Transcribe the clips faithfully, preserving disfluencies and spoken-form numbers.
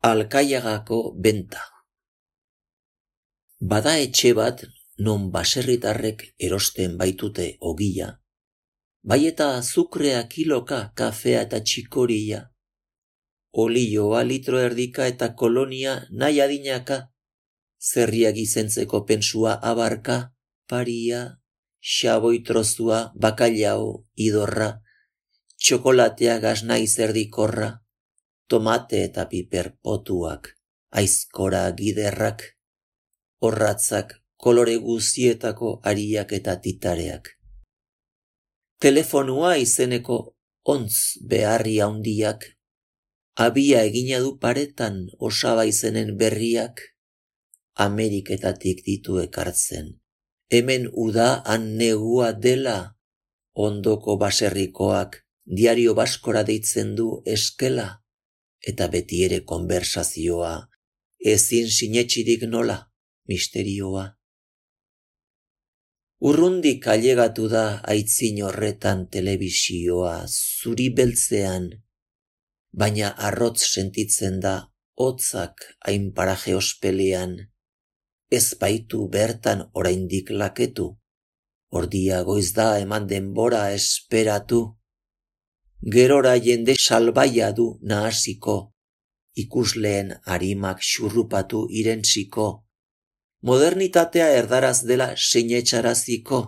Alkaiagako benta. Bada etxe bat non baserritarrek erosten baitute ogia, bai eta azukrea kiloka, kafea eta txikoria, olioa litro erdika eta kolonia nahi adinaka, zerriak izentzeko pensua abarka, paria, xaboi trozua, bakailau, idorra, txokolatea gasnai zerdikorra, tomate eta piper potuak, aizkora giderrak, orratzak, kolore guzietako ariak eta titareak. Telefonua izeneko ontz beharri handiak, abia egina du paretan osaba izenen berriak, Ameriketatik ditu ekartzen. Hemen uda han negua dela, ondoko baserrikoak diario baskora deitzen du eskela, eta beti ere konversazioa, ezin sinetxirik nola, misterioa. Urrundik ailegatu da aitzin horretan telebisioa, zuri beltzean, baina arrotz sentitzen da hotzak hain paraje ospelean, ez baitu bertan oraindik laketu, ordia goiz da eman denbora esperatu, gerora jende salbaia du nahasiko, ikusleen arimak xurrupatu irentsiko, modernitatea erdaraz dela sinetxaraziko,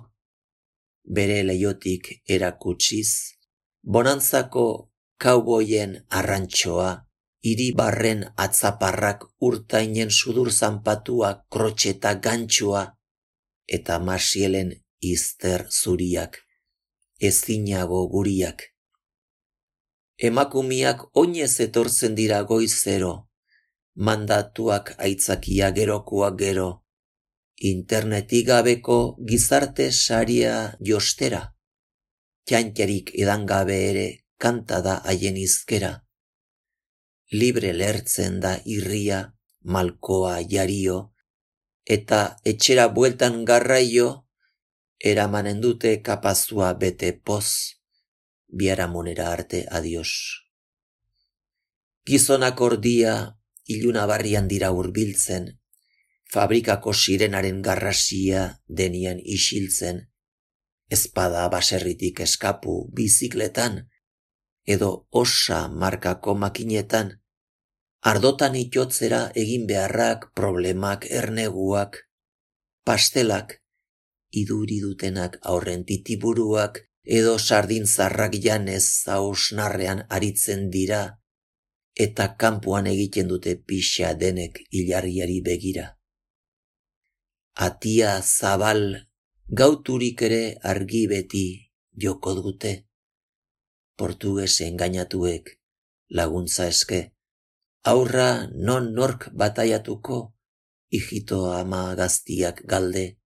bere leiotik erakutsiz, bonantzako kauboien arrantxoa, hiri barren atzaparrak urtainen sudur zanpatua, krotxeta gantxua, eta masielen izter zuriak, ezinago guriak. Emakumiak oinez etortzen dira goizero, mandatuak aitzakia gerokoak gero, internetik gabeko gizarte saria jostera, txantxarik edangabe ere kanta da haien izkera, libre lertzen da irria, malkoa jario, eta etxera bueltan garraio, eramanen dute kapazua bete poz, biharamonera arte adios. Gizonak ordia, iluna barrian dira hurbiltzen, fabrikako sirenaren garrasia denian isiltzen, ezpada baserritik eskapu bizikletan, edo osa markako makinetan, ardotan itotzera egin beharrak, problemak, erneguak, pastelak, iduri dutenak aurren titiburuak, edo sardin zarrak janez hausnarrean aritzen dira, eta kanpoan egiten dute pixa denek ilargiari begira. Atia zabal, gauturik ere argi beti joko dute, portugues engainatuek laguntza eske, aurra non nork bataiatuko, hijito ama gaztiak galde,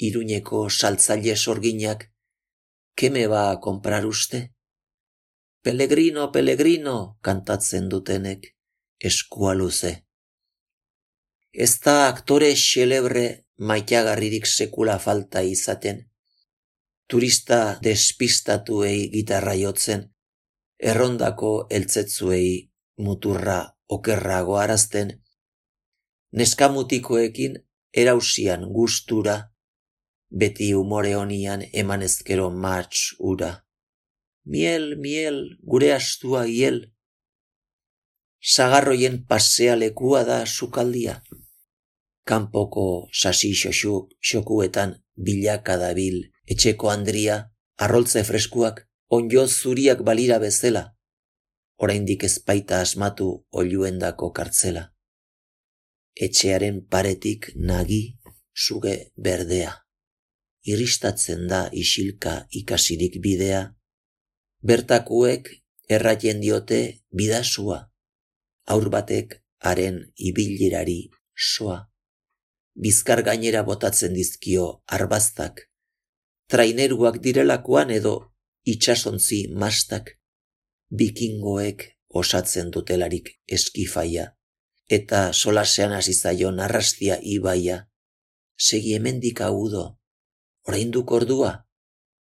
Iruñeko saltzaile sorginak, ¿Qué me va a comprar usted? Pellegrino, Pellegrino, kantatzen dutenek, eskua luze. Ez da aktore xelebre maitagarririk sekula falta izaten, turista despistatuei gitarra jotzen, errondako eltzetzuei muturra okerrago arazten, neskamutikoekin erausian gustura, beti umore honian emanezkero matx ura. Miel, miel, gure astua hiel. Sagarroien pasea lekua da sukaldia. Kanpoko sasi xoxuk xokuetan bilaka dabil etxeko andria, arroltze freskuak, onjo zuriak balira bezela. Oraindik ezpaita asmatu oiluendako kartzela. Etxearen paretik nagi suge berdea. Iristatzen da isilka ikasirik bidea, bertakuek erraien diote bidasua, aur batek haren ibilirari soa, bizkar gainera botatzen dizkio arbaztak, traineruak direlakoan edo itsasontzi mastak, bikingoek osatzen dutelarik eskifaia, eta solasean hasi zaion arrastia ibaia, segi hemendik agudo, orainduk ordua,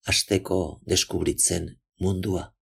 hasteko deskubritzen mundua.